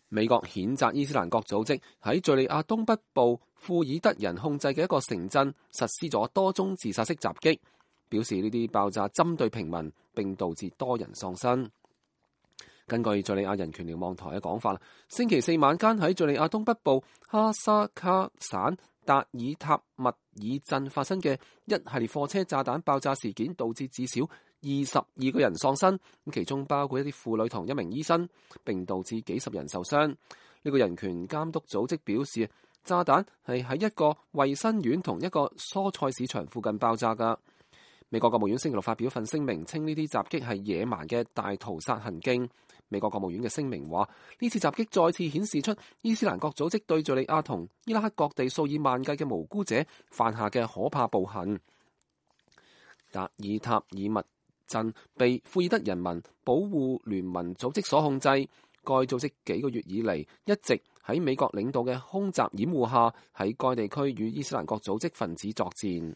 美國譴責伊斯蘭國組織喺敘利亞東北部庫爾德人控制嘅一個城鎮實施咗多宗自殺式襲擊，表示呢啲爆炸針對平民並導致多人喪生。根據敘利亞人權瞭望台嘅講法，星期四晚間喺敘利亞東北部哈薩卡省達爾塔密爾鎮發生嘅一系列貨車炸彈爆炸事件，導致至少22個人喪生，其中包括一啲婦女同一名醫生，並導致幾十人受傷。呢個人權監督組織表示，炸彈係喺一個衛生院同一個蔬菜市場附近爆炸㗎。美國國務院星期六發表份聲明，稱呢啲襲擊係野蠻嘅大屠殺行徑。美國國務院嘅聲明話，呢次襲擊再次顯示出伊斯蘭國組織對敘利亞同伊拉克各地數以萬計嘅無辜者犯下嘅可怕暴行。達爾塔爾密鎮被庫爾德人民保護聯盟組織所控制，該組織幾個月以嚟一直喺美國領導嘅空襲掩護下，喺該地區與伊斯蘭國組織分子作戰。